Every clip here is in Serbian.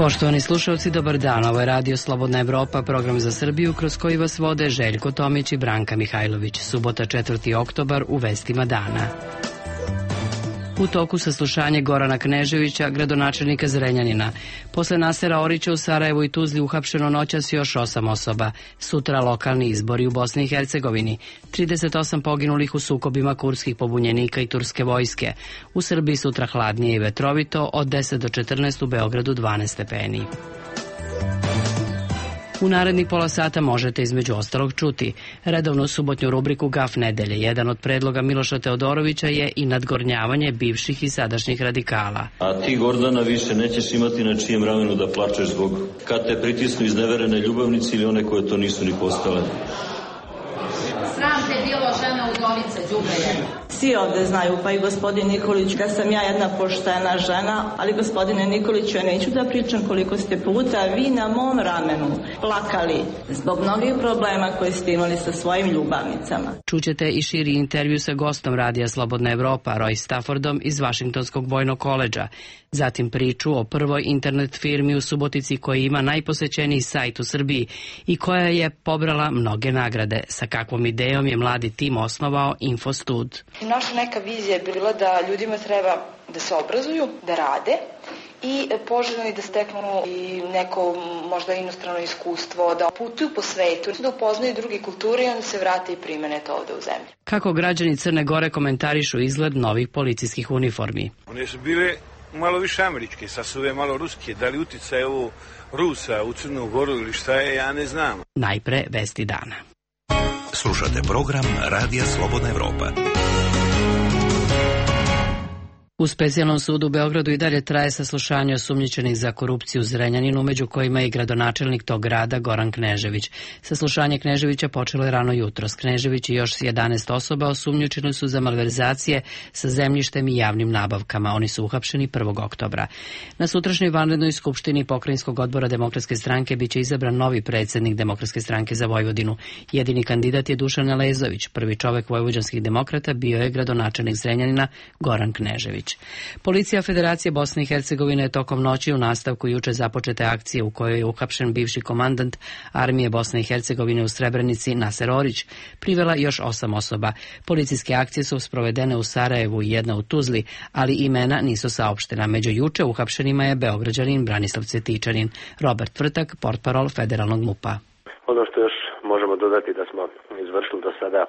Poštovani slušalci, dobar dan. Ovo je Radio Slobodna Evropa, program za Srbiju kroz koji vas vode Željko Tomić i Branka Mihajlović. Subota 4. oktobar u vestima dana. U toku saslušanje Gorana Kneževića, gradonačelnika Zrenjanina. Posle Nasera Orića u Sarajevu i Tuzli uhapšeno noćas još 8 osoba. Sutra lokalni izbori u Bosni i Hercegovini. 38 poginulih u sukobima kurdskih pobunjenika i turske vojske. U Srbiji sutra hladnije i vetrovito, od 10 do 14, u Beogradu 12 stepeni. U narednih pola sata možete između ostalog čuti redovnu subotnju rubriku Gaf nedelje. Jedan od predloga Miloša Teodorovića je i nadgornjavanje bivših i sadašnjih radikala. A ti, Gordana, više nećeš imati na čijem ramenu da plačeš zbog kad te pritisnu izneverene ljubavnici ili one koje to nisu ni postale. Sram te bilo, žena udovice, đubre jedna. Svi ovde znaju, pa i gospodin Nikolić, da sam ja jedna poštena žena, ali gospodine Nikoliću, ja neću da pričam koliko ste puta vi na mom ramenu plakali zbog mnogih problema koje ste imali sa svojim ljubavnicama. Čućete i širi intervju sa gostom Radija Slobodna Evropa, Roy Staffordom iz Vašingtonskog vojnog koledža. Zatim priču o prvoj internet firmi u Subotici koja ima najposećeniji sajt u Srbiji i koja je pobrala mnoge nagrade. Sa kakvom idejom je mladi tim osnovao Infostud. Naša neka vizija je bila da ljudima treba da se obrazuju, da rade i poželjno da steknu i neko možda inostrano iskustvo, da putuju po svetu, da upoznaju druge kulture i onda se vrate i primene to ovde u zemlji. Kako građani Crne Gore komentarišu izgled novih policijskih uniformi? One su bile malo više američke, sad su ove malo ruske. Da li uticaj ovo Rusa u Crnu Goru ili šta je, ja ne znam. Najpre vesti dana. Slušate program Radija Slobodna Evropa. U specijalnom sudu u Beogradu i dalje traje saslušanje osumnjičenih za korupciju u Zrenjaninu, među kojima je i gradonačelnik tog grada Goran Knežević. Saslušanje Kneževića počelo je rano jutros. Knežević i još 11 osoba osumnjičeni su za malverzacije sa zemljištem i javnim nabavkama. Oni su uhapšeni 1. oktobra. Na sutrašnjoj vanrednoj skupštini Pokrajinskog odbora Demokratske stranke biće izabran novi predsjednik Demokratske stranke za Vojvodinu. Jedini kandidat je Dušan Elezović. Prvi čovek vojvođanskih demokrata bio je gradonačelnik Zrenjanina Goran Knežević. Policija Federacije Bosne i Hercegovine je tokom noći u nastavku juče započete akcije u kojoj je uhapšen bivši komandant armije Bosne i Hercegovine u Srebrenici Naser Orić, privela još 8 osoba. Policijske akcije su sprovedene u Sarajevu i jedna u Tuzli, ali imena nisu saopštena. Među juče uhapšenima je Beograđanin Branislav Cvjetičanin. Robert Vrtak, portparol federalnog MUP-a. Ono što još možemo dodati da smo izvršili do sada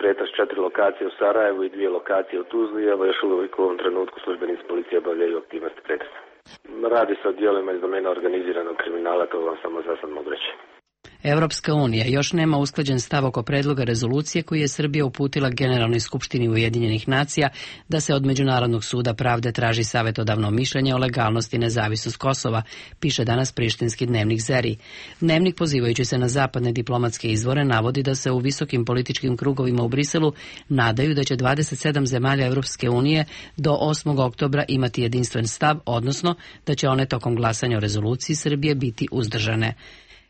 pretres 4 lokacije u Sarajevu i 2 lokacije u Tuzli, evo još uvijek u ovom trenutku službenici policije obavljaju aktivnosti pretresa. Radi se o dijelima iz domena organiziranog kriminala, to vam samo za sad mogu reći. Evropska unija još nema usklađen stav oko predloga rezolucije koji je Srbija uputila Generalnoj skupštini Ujedinjenih nacija da se od Međunarodnog suda pravde traži savjetodavno mišljenje o legalnosti i nezavisnost Kosova, piše danas prištinski dnevnik Zeri. Dnevnik, pozivajući se na zapadne diplomatske izvore, navodi da se u visokim političkim krugovima u Briselu nadaju da će 27 zemalja Evropske unije do 8. oktobra imati jedinstven stav, odnosno da će one tokom glasanja o rezoluciji Srbije biti uzdržane.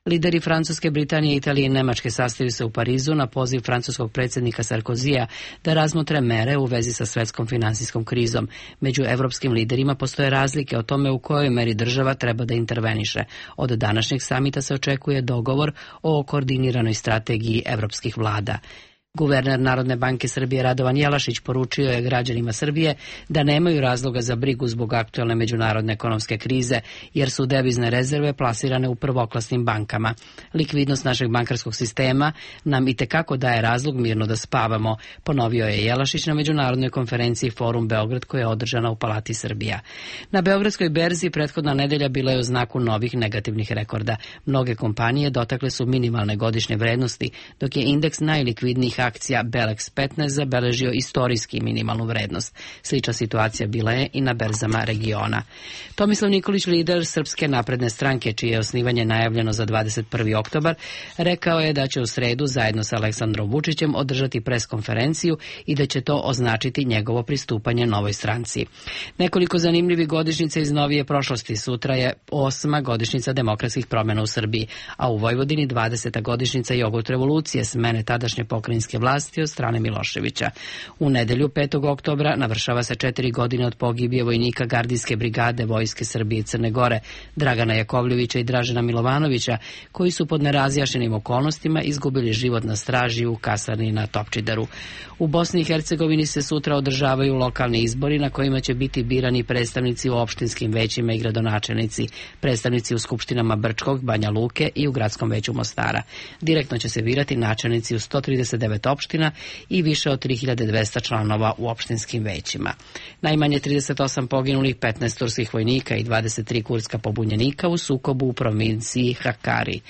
Lideri Francuske, Britanije, Italije i Nemačke sastaju se u Parizu na poziv francuskog predsjednika Sarkozija da razmotre mere u vezi sa svetskom finansijskom krizom. Među evropskim liderima postoje razlike o tome u kojoj meri država treba da interveniše. Od današnjeg samita se očekuje dogovor o koordiniranoj strategiji evropskih vlada. Guverner Narodne banke Srbije Radovan Jelašić poručio je građanima Srbije da nemaju razloga za brigu zbog aktuelne međunarodne ekonomske krize, jer su devizne rezerve plasirane u prvoklasnim bankama. Likvidnost našeg bankarskog sistema nam itekako daje razlog mirno da spavamo, ponovio je Jelašić na međunarodnoj konferenciji Forum Beograd koja je održana u Palati Srbija. Na Beogradskoj berzi prethodna nedelja bila je u znaku novih negativnih rekorda. Mnoge kompanije dotakle su minimalne godišnje vrednosti, dok je indeks najlikvidnijih akcija Belex 15 zabeležio istorijski minimalnu vrednost. Slična situacija bila je i na berzama regiona. Tomislav Nikolić, lider Srpske napredne stranke, čije je osnivanje najavljeno za 21. oktobar, rekao je da će u sredu zajedno sa Aleksandrom Vučićem održati preskonferenciju i da će to označiti njegovo pristupanje novoj stranci. Nekoliko zanimljivih godišnjica iz novije prošlosti. Sutra je 8. godišnjica demokratskih promjena u Srbiji, a u Vojvodini 20. godišnjica jogurt revolucije, smene tadašnje pokrajinske jugoslovenske vlasti od strane Miloševića. U nedelju 5. oktobra navršava se 4 godine od pogibije vojnika gardijske brigade Vojske Srbije i Crne Gore, Dragana Jakovljevića i Dražena Milovanovića, koji su pod nerazjašnjenim okolnostima izgubili život na straži u kasarni na Topčideru. U Bosni i Hercegovini se sutra održavaju lokalni izbori na kojima će biti birani predstavnici u opštinskim većima i gradonačelnici, predstavnici u skupštinama Brčkog, Banja Luke i u gradskom veću Mostara. Direktno će se birati načelnici u 139 opština i više od 3200 članova u opštinskim većima. Najmanje 38 poginulih, 15 turskih vojnika i 23 kurdska pobunjenika u sukobu u provinciji Hakkari.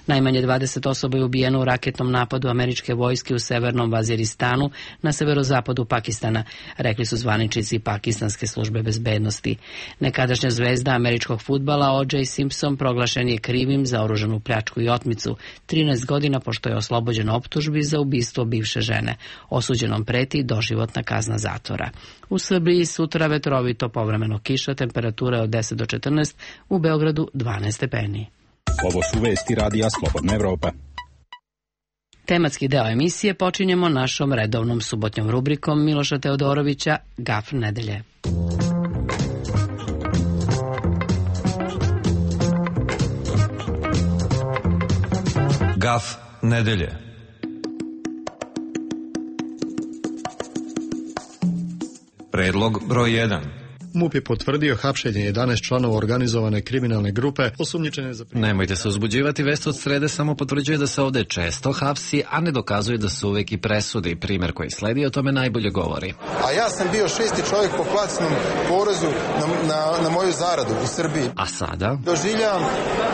Najmanje 20 osoba je ubijeno u raketnom napadu američke vojske u severnom Vaziristanu na severozapadu Pakistana, rekli su zvaničnici pakistanske službe bezbednosti. Nekadašnja zvezda američkog fudbala O.J. Simpson proglašen je krivim za oružanu pljačku i otmicu 13 godina pošto je oslobođen optužbi za ubistvo bivše žene. Osuđenom preti doživotna kazna zatvora. U Srbiji sutra vetrovito, povremeno kiša, temperatura od 10 do 14, u Beogradu 12 stepeni. Ovo su vesti Radija Slobodna Evropa. Tematski deo emisije počinjemo našom redovnom subotnjom rubrikom Miloša Teodorovića Gaf nedelje. Gaf nedelje. Predlog broj 1. MUP je potvrdio hapšenje 11 članova organizovane kriminalne grupe osumnjičene za... Nemojte se uzbuđivati, vest od srede samo potvrđuje da se ovde često hapsi, a ne dokazuje da se uvek i presudi. Primer koji sledi o tome najbolje govori. A ja sam bio 6. čovjek po plaćenom porezu na moju zaradu u Srbiji. A sada? Doživljavam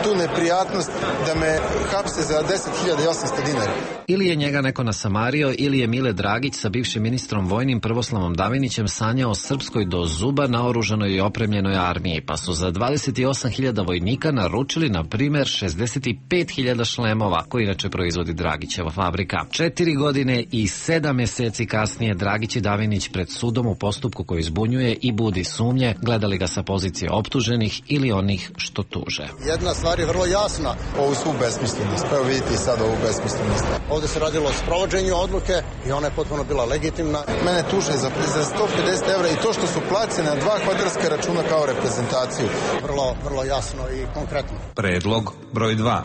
tu neprijatnost da me hapse za 10.800 dinara. Ili je njega neko nasamario, ili je Mile Dragić sa bivšim ministrom vojnim Prvoslavom Davinićem sanjao o srpskoj do zuba naoružanoj i opremljenoj armiji, pa su za 28.000 vojnika naručili, na primer, 65.000 šlemova, koji inače proizvodi Dragićeva fabrika. 4 godine i 7 meseci kasnije Dragić i Davinić pred sudom u postupku koji zbunjuje i budi sumnje, gledali ga sa pozicije optuženih ili onih što tuže. Jedna stvar je vrlo jasna. Ovu svu besmislenost, pa evo vidite i sad ovu besmislenost. Ovde se radilo o sprovođenju odluke i ona je potpuno bila legitimna. Mene tuže za 150 evra i to što su placene na 2 kvadarska računa kao reprezentaciju. Vrlo jasno i konkretno. Predlog broj 2.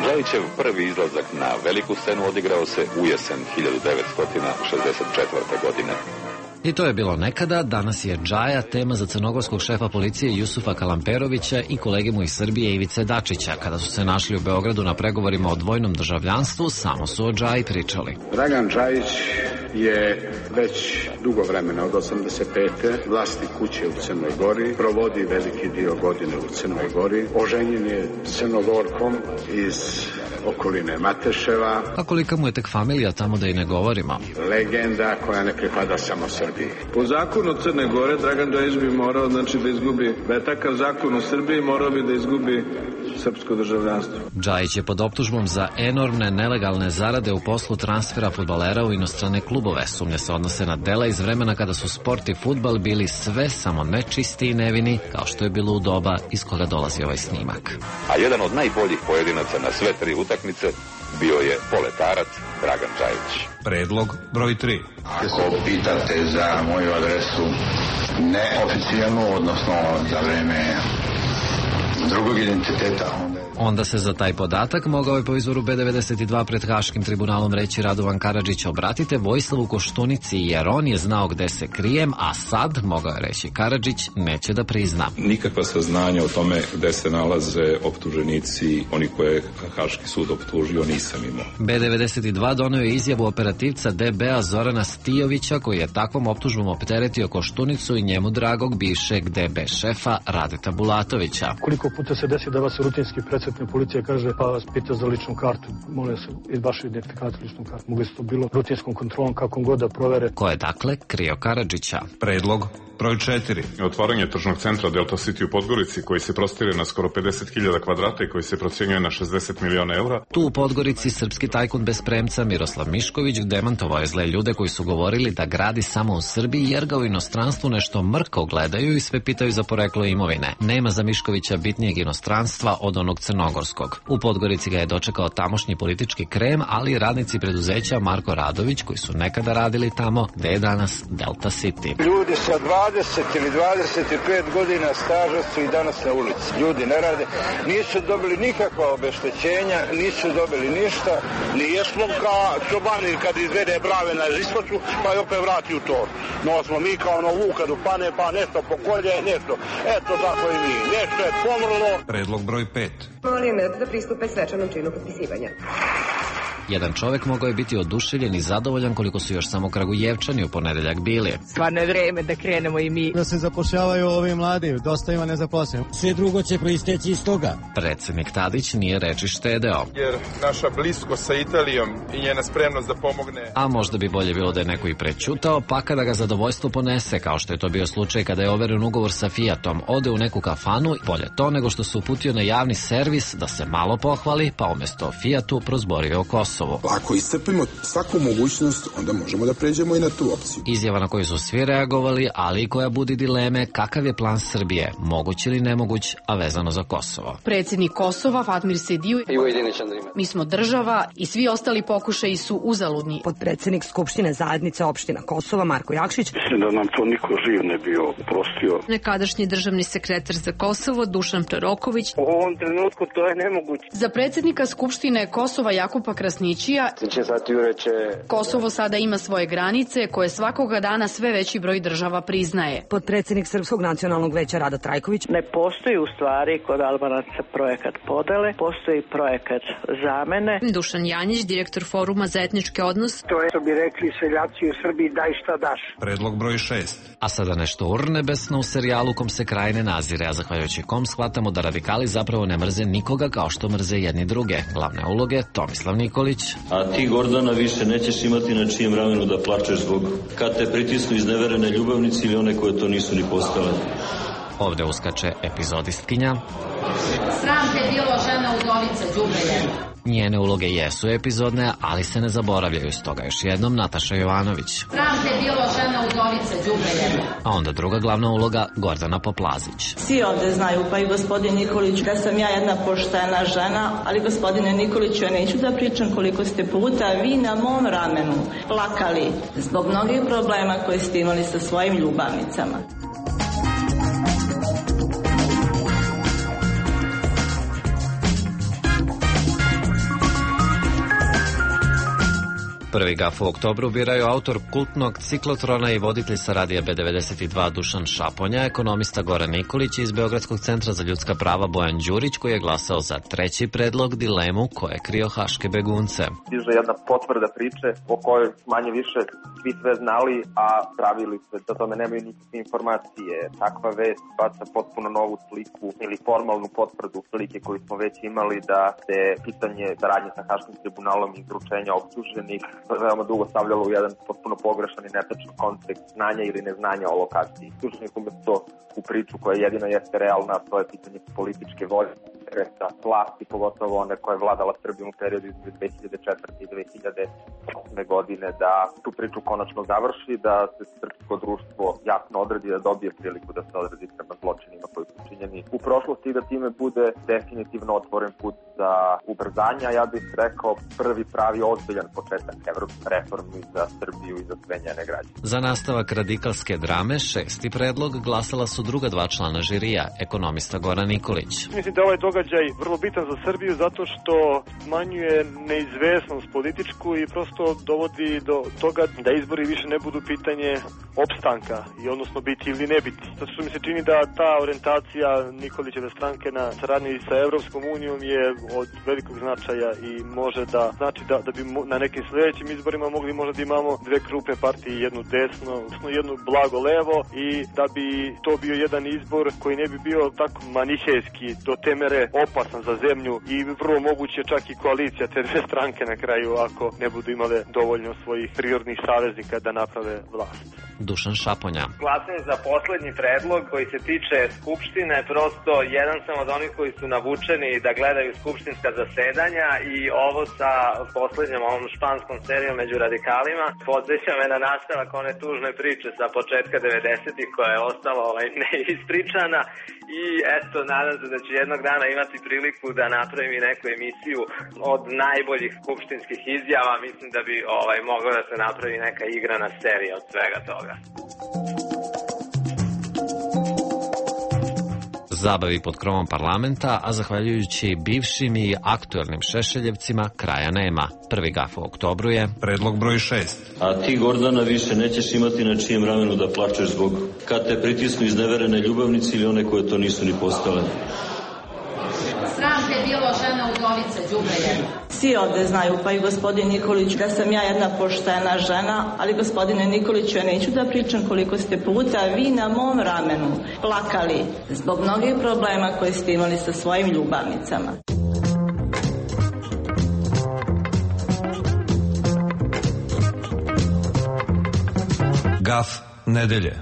Džajićev prvi izlazak na veliku scenu odigrao se u jesen 1964. godine. I to je bilo nekada, danas je Džaja tema za crnogorskog šefa policije Jusufa Kalamperovića i kolege mu iz Srbije Ivice Dačića. Kada su se našli u Beogradu na pregovorima o dvojnom državljanstvu, samo su o Džaji pričali. Dragan Džajić je već dugo vremena, od 85. vlasnik kuće u Crnoj Gori, provodi veliki dio godine u Crnoj Gori, oženjen je Crnogorkom iz okoline Mateševa. A kolika mu je tek familija, tamo da i ne govorimo. Legenda koja ne pripada samo Srbiji. Po zakonu Crne Gore Dragan Džajić bi morao da izgubi, da je takav zakon u Srbiji, morao bi da izgubi srpsko državljanstvo. Džajić je pod optužbom za enormne nelegalne zarade u poslu transfera fudbalera u inostrane klubove. Sumnje se odnose na dela iz vremena kada su sport i fudbal bili sve samo nečisti i nevini, kao što je bilo u doba iz koga dolazi ovaj snimak. A jedan od najboljih pojedinaca na sve 3 utakmice bio je poletarac Dragan Džajić. Predlog broj 3. Ako pitate za moju adresu neoficijalnu, odnosno za vreme drugog identiteta, onda se za taj podatak mogao je po izvoru B92 pred Haškim tribunalom reći Radovan Karadžić: obratite Vojislavu Koštunici jer on je znao gde se krijem, a sad, mogao je reći Karadžić, neće da prizna. Nikakva saznanja o tome gde se nalaze optuženici, oni koje je Haški sud optužio, nisam imao. B92 doneo je izjavu operativca DB-a Zorana Stijovića, koji je takvom optužbom opteretio Koštunicu i njemu dragog bivšeg DB šefa Radeta Bulatovića. Koliko puta se desi da vas rutinski policija kaže pa vas pita za ličnu kartu, molim se iz vaše identifikacije ličnu kartu. Mogli su to bilo rutinskom kontrolom kakvom god da provere. Ko je dakle krio Karadžića? Predlog broj 4. Otvaranje tržnog centra Delta City u Podgorici, koji se prostire na skoro 50.000 kvadrata i koji se procenjuje na 60 miliona eura. Tu u Podgorici srpski tajkun bez premca Miroslav Mišković demantovao je zle ljude koji su govorili da gradi samo u Srbiji jer ga u inostranstvu nešto mrko gledaju i sve pitaju za poreklo imovine. Nema za Miškovića bitnije sigurnijeg inostranstva od onog crnogorskog. U Podgorici ga je dočekao tamošnji politički krem, ali i radnici preduzeća Marko Radović, koji su nekada radili tamo gde je danas Delta City. Ljudi sa 20 ili 25 godina staža su i danas na ulici. Ljudi ne rade, nisu dobili nikakva obeštećenja, nisu dobili ništa. Nije smo kao čobani kad izvede brave na iskoču, pa je opet vrati u tor. No smo mi kao ono vuka dupane, pa nešto pokolje, nešto. Eto tako i mi. Nešto je pomrlo. Predlog broj 5. Molim da pristupe svečanom činu potpisivanja. Jedan čovek mogao je biti oduševljen i zadovoljan koliko su još samo Kragujevčani u ponedeljak bili. Stvarno je vreme da krenemo i mi. Da se zapošljavaju ovi mladi, dosta ima nezaposlenih. Sve drugo će proisteći iz toga. Predsednik Tadić nije reči štedeo. Jer naša bliskost sa Italijom i njena spremnost da pomogne. A možda bi bolje bilo da je neko i prećutao, pa kada ga zadovoljstvo ponese, kao što je to bio slučaj kada je overen ugovor sa Fiatom, ode u neku kafanu, bolje to nego što se uputio na javni servis da se malo pohvali, pa umesto Fiatu prozborio o Kosovu. Ako iscrpimo svaku mogućnost, onda možemo da pređemo i na tu opciju. Izjava na koju su svi reagovali, ali i koja budi dileme kakav je plan Srbije, moguć ili nemoguć, a vezano za Kosovo. Predsjednik Kosova, Fatmir Sediju, mi smo država i svi ostali pokušaji su uzaludni. Podpredsjednik Skupštine zajednice opština Kosova, Marko Jakšić. Mislim da nam to niko živ ne bio oprostio. Nekadašnji državni sekretar za Kosovo, Dušan Proroković. U ovom trenutku to je nemoguće. Za predsjednika Skupštine Kosova, Jakupa Krasnićija, Kosovo sada ima svoje granice koje svakoga dana sve veći broj država priznaje. Podpredsjednik Srpskog nacionalnog veća Rada Trajković. Ne postoji u stvari kod Albanaca projekat podele, postoji projekat zamene. Dušan Janjić, direktor Foruma za etničke odnose. To je, što bi rekli seljaci u Srbiji, daj šta daš. Predlog broj 6. A sada nešto urnebesno u serijalu kom se kraj ne nazire, a zahvaljujući kom shvatamo da radikali zapravo ne mrze nikoga kao što mrze jedni druge. Glavne uloge Tomislav Nikolić. A ti, Gordana, više nećeš imati na čijem ramenu da plačeš zbog kad te pritisnu izneverene ljubavnici ili one koje to nisu ni postale. Ovde uskače epizodistkinja. Sram te bilo, žena udovica, đubre jedna. Njene uloge jesu epizodne, ali se ne zaboravljaju, stoga još jednom Nataša Jovanović. Sram te bilo, žena udovica, đubre jedna. A onda druga glavna uloga Gordana Poplazić. Svi ovde znaju, pa i gospodin Nikolić, da sam ja jedna poštena žena, ali gospodine Nikoliću, ja neću da pričam koliko ste puta vi na mom ramenu plakali zbog mnogih problema koje ste imali sa svojim ljubavnicama. Prvi gaf u oktobru biraju autor kultnog ciklotrona i voditelj sa radija B92 Dušan Šaponja, ekonomista Goran Nikolić i iz Beogradskog centra za ljudska prava Bojan Đurić, koji je glasao za treći predlog, dilemu ko je krio haške begunce. Stiže jedna potvrda priče o kojoj manje više svi sve znali, a pravili se da tome nemaju nikakve informacije. Takva vest baca potpuno novu sliku ili formalnu potvrdu slike koju smo već imali, da se pitanje saradnje sa Haškim tribunalom i izručenja optuženih veoma dugo stavljalo u jedan potpuno pogrešan i netačan kontekst znanja ili neznanja o lokaciji. Slušnik umesto u priču koja jedina jeste realna, to je pitanje političke volje, interesa, vlasti, pogotovo one koja je vladala Srbijom u periodu između 2004. i 2008. godine, da tu priču konačno završi, da se srpsko društvo jasno odredi, da dobije priliku da se odredi prema zločinima koji su činjeni u prošlosti i da time bude definitivno otvoren put za ubrzanja. Ja bih rekao prvi pravi ozbiljan početak evropske reformi za Srbiju i za sve njene građane. Za nastavak radikalske drame, šesti predlog glasala su druga dva člana žirija, ekonomista Goran Nikolić. Mislim da ovaj događaj vrlo bitan za Srbiju zato što smanjuje neizvesnost političku i prosto dovodi do toga da izbori više ne budu pitanje opstanka i odnosno biti ili ne biti. Zato što mi se čini da ta orijentacija Nikolićeve stranke na saradnji sa Evropskom unijom je od velikog značaja i može da znači da bi na nekim sledećim izborima mogli možda da imamo dve krupne partije, jednu desno, jednu blago levo i da bi to bio jedan izbor koji ne bi bio tako manihejski do te mere opasan za zemlju i vrlo moguće čak i koalicija te dve stranke na kraju ako ne budu imale dovoljno svojih prirodnih saveznika da naprave vlast. Dušan Šaponja. Glasam za poslednji predlog koji se tiče Skupštine, prosto jedan sam od onih koji su navučeni da gledaju skupštinska zasedanja i ovo sa poslednjom ovom španskom serijom među radikalima podsjeća me na nastavak one tužne priče sa početka 90-ih koja je ostala neispričana i eto, nadam se da ću jednog dana imati priliku da napravim i neku emisiju od najboljih skupštinskih izjava. Mislim da bi mogla da se napravi neka igrana serija od svega toga. Zabavi pod krovom parlamenta, a zahvaljujući bivšim i aktuelnim Šešeljevcima, kraja nema. Prvi gaf u oktobru je predlog broj 6. A ti, Gordana, više nećeš imati na čijem ramenu da plačeš zbog kad te pritisnu izneverene ljubavnici ili one koje to nisu ni postale. Sram te bilo, žena udovice, đubre jedno. Svi ovde znaju, pa i gospodin Nikolić, da sam ja jedna poštena žena, ali gospodine Nikoliću, ja neću da pričam koliko ste puta vi na mom ramenu plakali zbog mnogih problema koje ste imali sa svojim ljubavnicama. Gaf nedelje.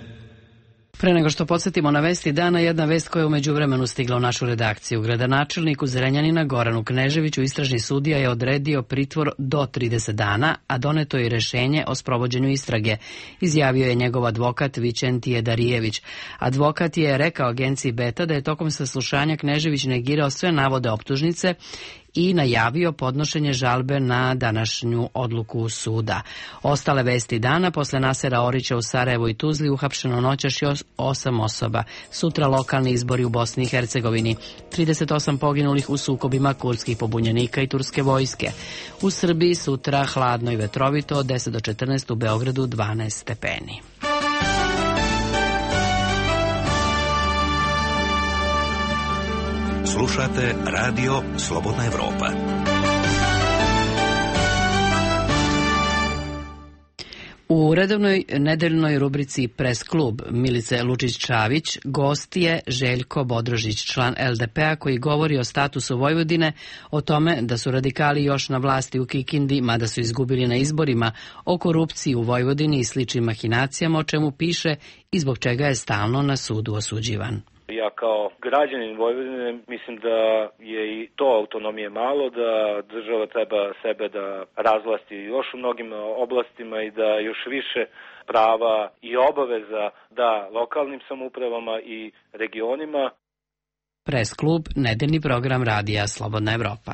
Pre nego što podsjetimo na vesti dana, jedna vest koja je u međuvremenu stigla u našu redakciju. Gradonačelniku Zrenjanina Goranu Kneževiću istražni sudija je odredio pritvor do 30 dana, a doneto je rešenje o sprovođenju istrage, izjavio je njegov advokat Vičentije Darijević. Advokat je rekao agenciji Beta da je tokom saslušanja Knežević negirao sve navode optužnice i najavio podnošenje žalbe na današnju odluku suda. Ostale vesti dana: posle Nasera Orića u Sarajevu i Tuzli uhapšeno noćas još 8 osoba. Sutra lokalni izbori u Bosni i Hercegovini. 38 poginulih u sukobima kurdskih pobunjenika i turske vojske. U Srbiji sutra hladno i vetrovito od 10 do 14, u Beogradu 12 stepeni. Slušate Radio Slobodna Evropa. U redovnoj nedeljnoj rubrici Pres klub Milice Lučić-Čavić gost je Željko Bodrožić, član LDP-a, koji govori o statusu Vojvodine, o tome da su radikali još na vlasti u Kikindi, mada su izgubili na izborima, o korupciji u Vojvodini i sličnim mahinacijama, o čemu piše i zbog čega je stalno na sudu osuđivan. Ja kao građanin Vojvodine mislim da je i to autonomije malo, da država treba sebe da razvlasti još u mnogim oblastima i da još više prava i obaveza da lokalnim samoupravama i regionima. Pres klub, nedeljni program radija Slobodna Evropa.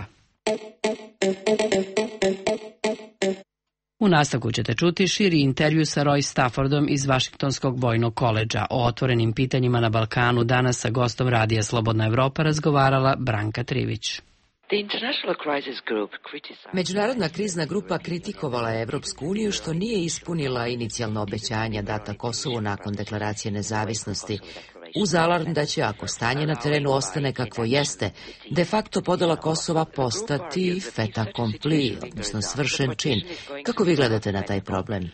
U nastavku ćete čuti širi intervju sa Roy Staffordom iz Vašingtonskog vojnog koledža. O otvorenim pitanjima na Balkanu danas sa gostom radija Slobodna Evropa razgovarala Branka Trivić. Međunarodna krizna grupa kritikovala je Evropsku uniju što nije ispunila inicijalna obećanja data Kosovu nakon deklaracije nezavisnosti, uz alarm da će, ako stanje na terenu ostane kakvo jeste, de facto podela Kosova postati fait accompli, odnosno svršen čin. Kako vi gledate na taj problem?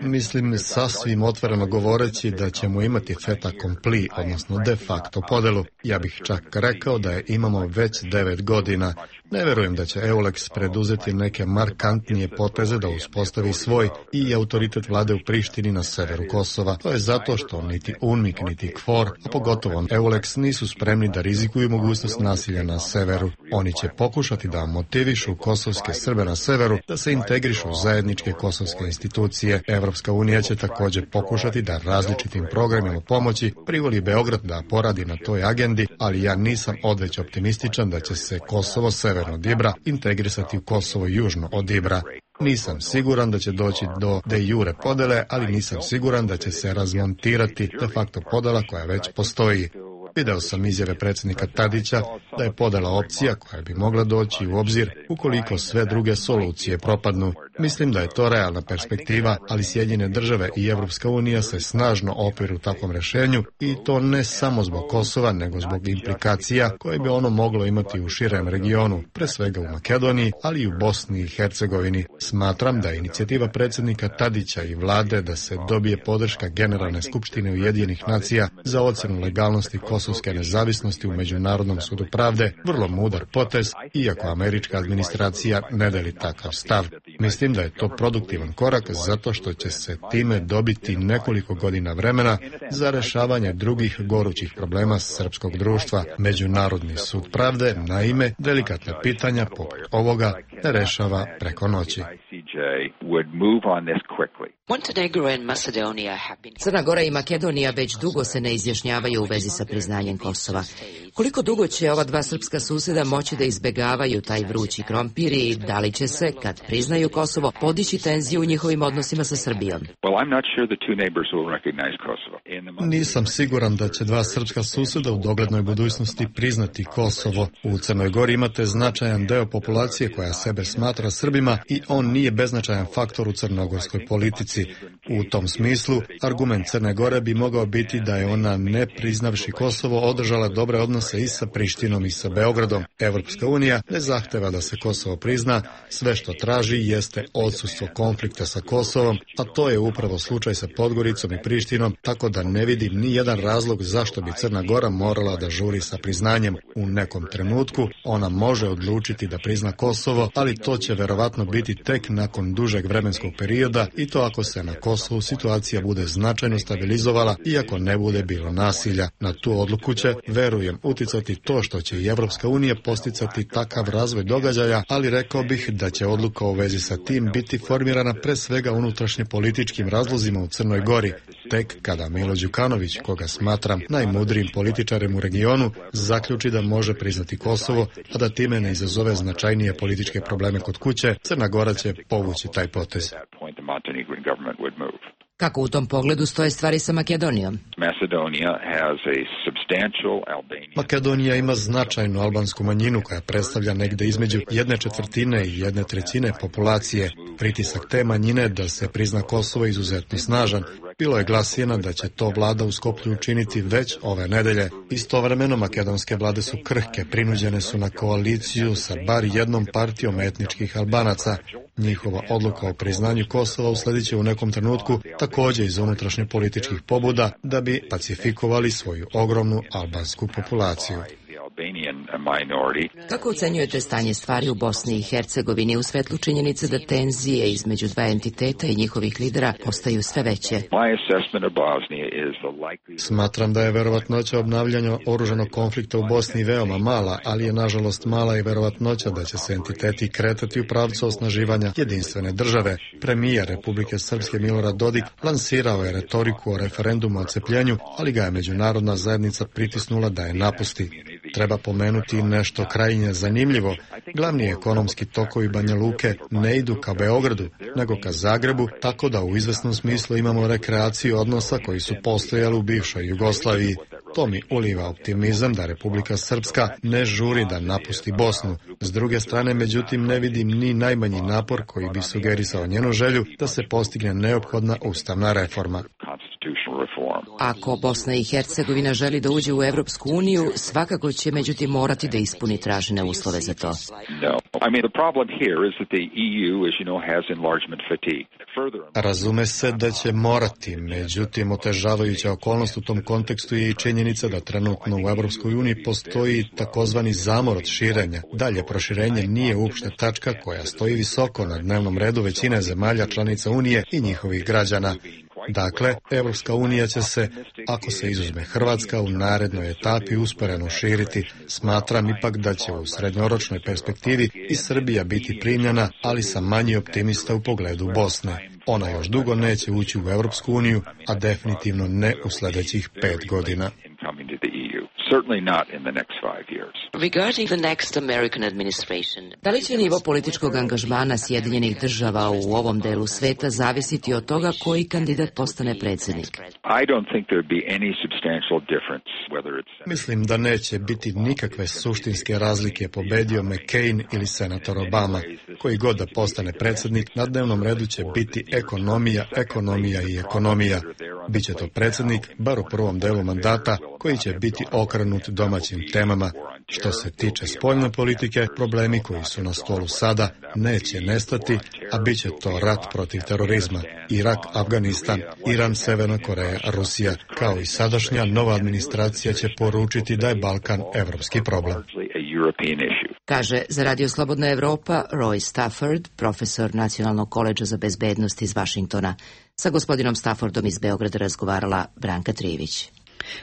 Mislim, sasvim otvoreno govoreći, da ćemo imati fait accompli, odnosno de facto podelu. Ja bih čak rekao da je imamo već 9 godina. Ne verujem da će EULEX preduzeti neke markantnije poteze da uspostavi svoj i autoritet vlade u Prištini na severu Kosova. To je zato što niti UNMIK, niti KFOR, a pogotovo EULEX nisu spremni da rizikuju mogućnost nasilja na severu. Oni će pokušati da motivišu kosovske Srbe na severu da se integrišu u zajedničke kosovske institucije. Evropska unija će također pokušati da različitim programima pomoći privoli Beograd da poradi na toj agendi, ali ja nisam odveć optimističan da će se Kosovo severno od Ibra integrisati u Kosovo južno od Ibra. Nisam siguran da će doći do de jure podele, ali nisam siguran da će se razmontirati de facto podela koja već postoji. Video sam izjave predsjednika Tadića da je podela opcija koja bi mogla doći u obzir ukoliko sve druge solucije propadnu. Mislim da je to realna perspektiva, ali Sjedinjene države i Evropska unija se snažno opiru takvom rješenju i to ne samo zbog Kosova, nego zbog implikacija koje bi ono moglo imati u širem regionu, pre svega u Makedoniji, ali i u Bosni i Hercegovini. Smatram da je inicijativa predsjednika Tadića i vlade da se dobije podrška Generalne skupštine Ujedinjenih nacija za ocjenu legalnosti kosovske nezavisnosti u Međunarodnom sudu pravde vrlo mudar potez, iako američka administracija ne deli takav stav. Mislim mislim da je to produktivan korak zato što će se time dobiti nekoliko godina vremena za rešavanje drugih gorućih problema srpskog društva. Međunarodni sud pravde, naime, delikatna pitanja poput ovoga ne rešava preko noći. Crna Gora i Makedonija već dugo se ne izjašnjavaju u vezi sa priznanjem Kosova. Koliko dugo će ova dva srpska suseda moći da izbegavaju taj vrući krompir i da li će se, kad priznaju Kosovo, podići tenziju u njihovim odnosima sa Srbijom? Nisam siguran da će dva srpska suseda u doglednoj budućnosti priznati Kosovo. U Crnoj Gori imate značajan deo populacije koja sebe smatra Srbima i on nije beznačajan faktor u crnogorskoj politici. U tom smislu, argument Crne Gore bi mogao biti da je ona, ne priznavši Kosovo, održala dobre odnose i sa Prištinom i sa Beogradom. Evropska unija ne zahteva da se Kosovo prizna, sve što traži jeste odsustvo konflikta sa Kosovom, a to je upravo slučaj sa Podgoricom i Prištinom, tako da ne vidim ni jedan razlog zašto bi Crna Gora morala da žuri sa priznanjem. U nekom trenutku ona može odlučiti da prizna Kosovo, ali to će verovatno biti tek nakon dužeg vremenskog perioda i to ako se na Kosovu situacija bude značajno stabilizovala i ako ne bude bilo nasilja. Na tu odluku će, verujem, uticati to što će i Evropska unija posticati takav razvoj događaja, ali rekao bih da će odluka u vezi sa tim biti formirana pre svega unutrašnje političkim razlozima u Crnoj Gori, tek kada Milo Đukanović, koga smatram najmudrijim političarem u regionu, zaključi da može priznati Kosovo, a da time ne izazove značajnije političke probleme kod kuće, Crna Gora će povući taj potez. Kako u tom pogledu stoje stvari sa Makedonijom? Makedonija ima značajnu albansku manjinu koja predstavlja negde između 1/4 i 1/3 populacije. Pritisak te manjine da se prizna Kosovo je izuzetno snažan. Bilo je glasina da će to vlada u Skoplju učiniti već ove nedelje. Istovremeno makedonske vlade su krhke, prinuđene su na koaliciju sa bar jednom partijom etničkih Albanaca. Njihova odluka o priznanju Kosova uslediće u nekom trenutku takođe iz unutrašnje političkih pobuda da bi pacifikovali svoju ogromnu albansku populaciju. Kako ocenjujete stanje stvari u Bosni i Hercegovini u svetlu činjenice da tenzije između dva entiteta i njihovih lidera postaju sve veće? Smatram da je verovatnoća obnavljanja oružanog konflikta u Bosni veoma mala, ali je nažalost mala i verovatnoća da će se entiteti kretati u pravcu osnaživanja jedinstvene države. Premijer Republike Srpske Milorad Dodik lansirao je retoriku o referendumu o odcepljenju, ali ga je međunarodna zajednica pritisnula da je napusti. Treba pomenuti nešto krajnje zanimljivo. Glavni ekonomski tokovi Banja Luke ne idu ka Beogradu, nego ka Zagrebu, tako da u izvesnom smislu imamo rekreaciju odnosa koji su postojali u bivšoj Jugoslaviji. To mi uliva optimizam da Republika Srpska ne žuri da napusti Bosnu. S druge strane, međutim, ne vidim ni najmanji napor koji bi sugerisao njenu želju da se postigne neophodna ustavna reforma. Ako Bosna i Hercegovina želi da uđe u Evropsku uniju, svakako će međutim morati da ispuni tražene uslove za to. Razume se da će morati, međutim otežavajuća okolnost u tom kontekstu je i činjenica da trenutno u Evropskoj uniji postoji takozvani zamor od širenja. Dalje proširenje nije uopšte tačka koja stoji visoko na dnevnom redu većine zemalja članica Unije i njihovih građana. Dakle, Evropska unija će se, ako se izuzme Hrvatska, u narednoj etapi usporeno širiti. Smatram ipak da će u srednjoročnoj perspektivi i Srbija biti primljena, ali sam manji optimista u pogledu Bosne. Ona još dugo neće ući u Evropsku uniju, a definitivno ne u sledećih 5 godina. Da li će nivo političkog angažmana Sjedinjenih država u ovom delu sveta zavisiti od toga koji kandidat postane predsjednik? Mislim da neće biti nikakve suštinske razlike pobedio McCain ili senator Obama. Koji god da postane predsjednik, na dnevnom redu će biti ekonomija, ekonomija i ekonomija. Biće to predsjednik, bar u prvom delu mandata, koji će biti okrenut domaćim temama. Što se tiče spoljne politike, problemi koji su na stolu sada neće nestati, a bit će to rat protiv terorizma. Irak, Afganistan, Iran, Severna Koreja, Rusija, kao i sadašnja nova administracija će poručiti da je Balkan evropski problem. kaže za Radio Slobodna Evropa Roy Stafford, profesor Nacionalnog koledža za bezbednost iz Vašingtona. Sa gospodinom Staffordom iz Beograda razgovarala Branka Trivić.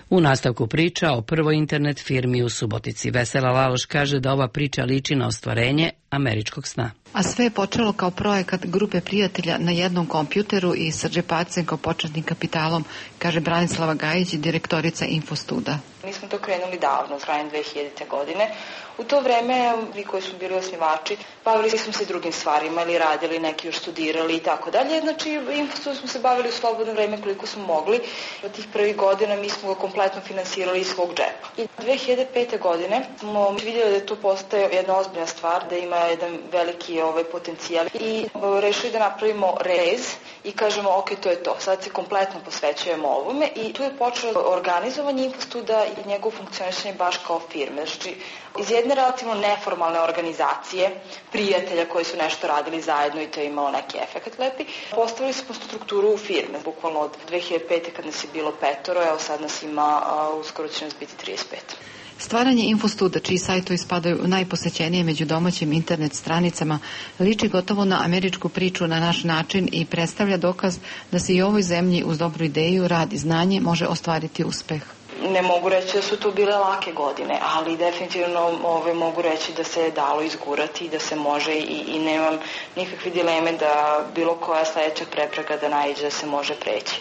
U nastavku priča o prvoj internet firmi u Subotici. Vesela Laloš kaže da ova priča liči na ostvarenje američkog sna. A sve je počelo kao projekat grupe prijatelja na jednom kompjuteru i sa džepacem kao početnim kapitalom, kaže Branislava Gajić, direktorica Infostuda. Mi smo to krenuli davno, krajem 2000. godine. U to vreme, vi koji smo bili osnivači, bavili smo se drugim stvarima ili radili, neki još studirali i tako dalje. Znači, Infostud smo se bavili u slobodno vreme koliko smo mogli. Od tih prvih godina mi smo ga kompletno finansirali iz svog džepa. I 2005. godine smo vidjeli da to postaje jedna ozbiljna stvar, da ima jedan veliki potencijal i rešili da napravimo rez i kažemo ok, to je to. Sad se kompletno posvećujemo ovome i tu je počelo organizovanje Infostuda i njegovo funkcionisanje baš kao firme. Znači, iz jedne relativno neformalne organizacije, prijatelja koji su nešto radili zajedno i to je imalo neki efekt lepi, postavili smo strukturu firme. Bukvalno od 2005. kad nas je bilo 5, evo sad nas ima, uskoro će nas biti 35. Stvaranje Infostuda, čiji sajtovi spadaju u najposećenije među domaćim internet stranicama, liči gotovo na američku priču na naš način i predstavlja dokaz da se i u ovoj zemlji uz dobru ideju, rad i znanje može ostvariti uspeh. Ne mogu reći da su to bile lake godine, ali definitivno mogu reći da se je dalo izgurati, da se može i nemam nikakve dileme da bilo koja sledeća prepreka da naiđe da se može preći.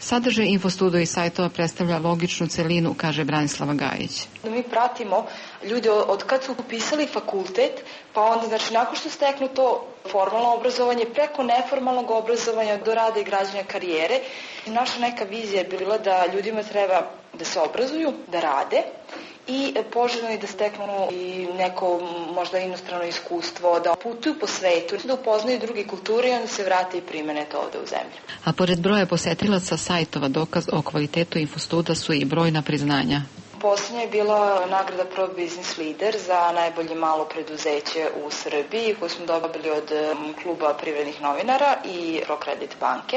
Sadržaj Infostuda i sajtova predstavlja logičnu celinu, kaže Branislava Gajić. Mi pratimo ljude od kad su upisali fakultet, pa onda, znači, nakon što steknu to formalno obrazovanje, preko neformalnog obrazovanja do rada i građenja karijere. Naša neka vizija je bila da ljudima treba da se obrazuju, da rade i poželjno i da steknu i neko možda inostrano iskustvo, da putuju po svetu, da upoznaju druge kulture i onda se vrate i primene to ovde u zemlju. A pored broja posetilaca sajtova, dokaz o kvalitetu Infostuda su i brojna priznanja. Poslednja je bila nagrada Pro Business Leader za najbolje malo preduzeće u Srbiji koju smo dobili od kluba privrednih novinara i ProCredit banke.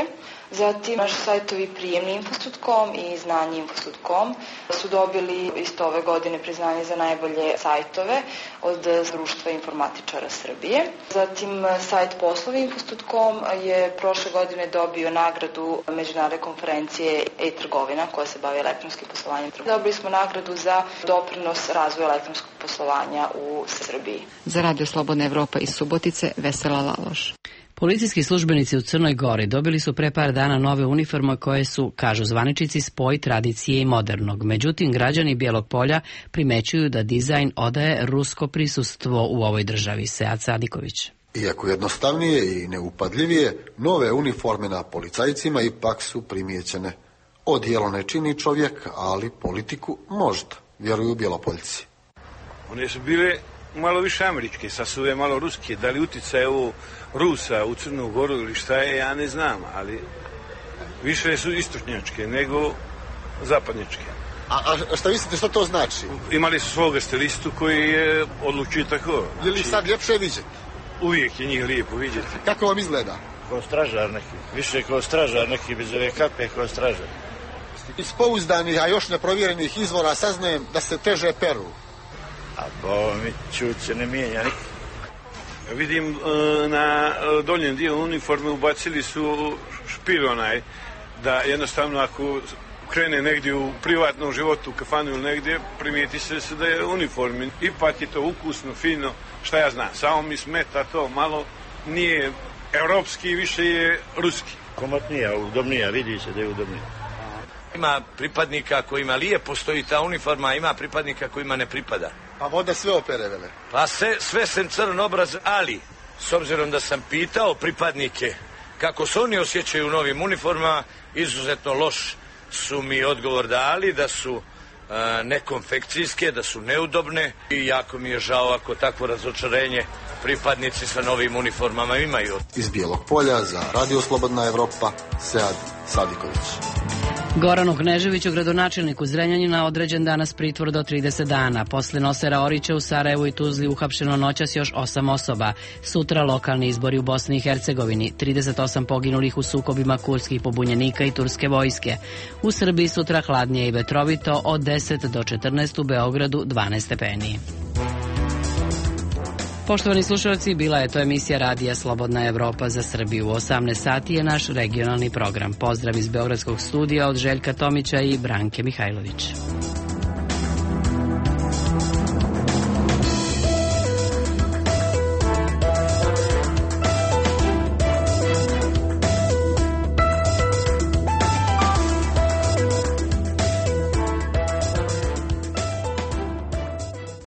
Zatim naši sajtovi prijemni Infostud.com i znanje Infostud.com su dobili isto ove godine priznanje za najbolje sajtove od Društva informatičara Srbije. Zatim sajt poslovi Infostud.com je prošle godine dobio nagradu međunarodne konferencije e-trgovina koja se bavi elektronskim poslovanjem. Dobili smo nagradu za doprinos razvoja elektronskog poslovanja u Srbiji. Za Radio Slobodna Evropa iz Subotice, Vesela Laloš. Policijski službenici u Crnoj Gori dobili su pre par dana nove uniforme koje su, kažu zvaničnici, spoj tradicije i modernog. Međutim, građani Bijelog Polja primećuju da dizajn odaje rusko prisustvo u ovoj državi. Sead Sadiković. Iako jednostavnije i neupadljivije, nove uniforme na policajcima ipak su primijećene. Odijelo ne čini čovjek, ali politiku možda, vjeruju Bjelopoljci. One su bile malo više američke, sad su je malo ruske. Da li utjecaj ovo Rusa u Crnu Goru ili šta je, ja ne znam, ali više su istočnjačke nego zapadnjačke. A šta mislite, što to znači? Imali su svoga stilistu koji je odlučio tako. Je li sad ljepše vidjeti? Uvijek je njih lijepo vidjeti. Kako vam izgleda? Kao stražar neki, više kao stražar neki, bez ove kape kao stražar. Iz pouzdanih, a još neprovjerenih izvora saznajem da se teže peru. A mi čut se ne mijenja nikak. Vidim na doljem dijelu uniforme ubacili su špil onaj, da jednostavno ako krene negdje u privatnom životu, u kafanu ili negdje, primijeti se da je uniformi. Ipak je to ukusno, fino, šta ja znam, samo mi smeta to, malo nije evropski, više je ruski. Komotnija, udobnija, vidi se da je udobnija. Ima pripadnika kojima lijepo stoji ta uniforma, ima pripadnika kojima ne pripada. Pa voda sve opere, vele? Pa sve sem crn obraz, ali s obzirom da sam pitao pripadnike kako se oni osjećaju u novim uniformama, izuzetno loš su mi odgovor dali, da su nekonfekcijske, da su neudobne i jako mi je žao ako takvo razočarenje pripadnici sa novim uniformama imaju. Iz Bijelog Polja za Radio Slobodna Evropa, Sead Sadiković. Goranu Kneževiću, gradonačelniku Zrenjanina, određen danas pritvor do 30 dana. Posle Nosera Orića u Sarajevu i Tuzli uhapšeno noćas još 8 osoba. Sutra lokalni izbori u Bosni i Hercegovini. 38 poginulih u sukobima kurskih pobunjenika i turske vojske. U Srbiji sutra hladnije i vetrovito, od 10 do 14, u Beogradu 12 stepeni. Poštovani slušalci, bila je to emisija Radija Slobodna Evropa za Srbiju. U 18 sati je naš regionalni program. Pozdrav iz Beogradskog studija od Željka Tomića i Branke Mihajlović.